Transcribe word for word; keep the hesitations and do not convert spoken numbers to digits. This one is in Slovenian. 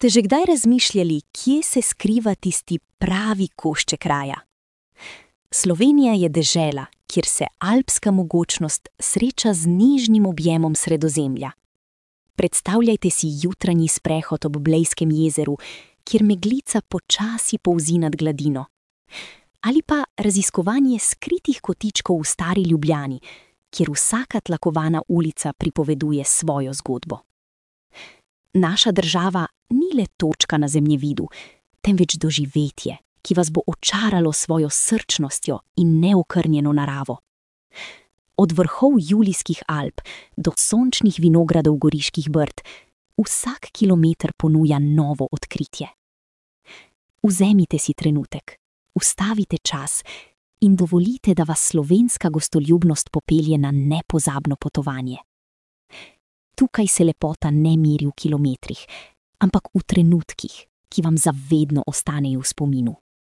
Ste že kdaj razmišljali, kje se skriva tisti pravi košček raja? Slovenija je dežela, kjer se alpska mogočnost sreča z nižnim objemom Sredozemlja. Predstavljajte si jutranji sprehod ob Blejskem jezeru, kjer meglica počasi polzi nad gladino. Ali pa raziskovanje skritih kotičkov v stari Ljubljani, kjer vsaka tlakovana ulica pripoveduje svojo zgodbo. Naša država ni le točka na zemljevidu, temveč doživetje, ki vas bo očaralo svojo srčnostjo in neokrnjeno naravo. Od vrhov Julijskih Alp do sončnih vinogradov Goriških Brd, vsak kilometer ponuja novo odkritje. Vzemite si trenutek, ustavite čas in dovolite, da vas slovenska gostoljubnost popelje na nepozabno potovanje. Tukaj se lepota ne meri v kilometrih, ampak v trenutkih, ki vam zavedno ostanejo v spominu.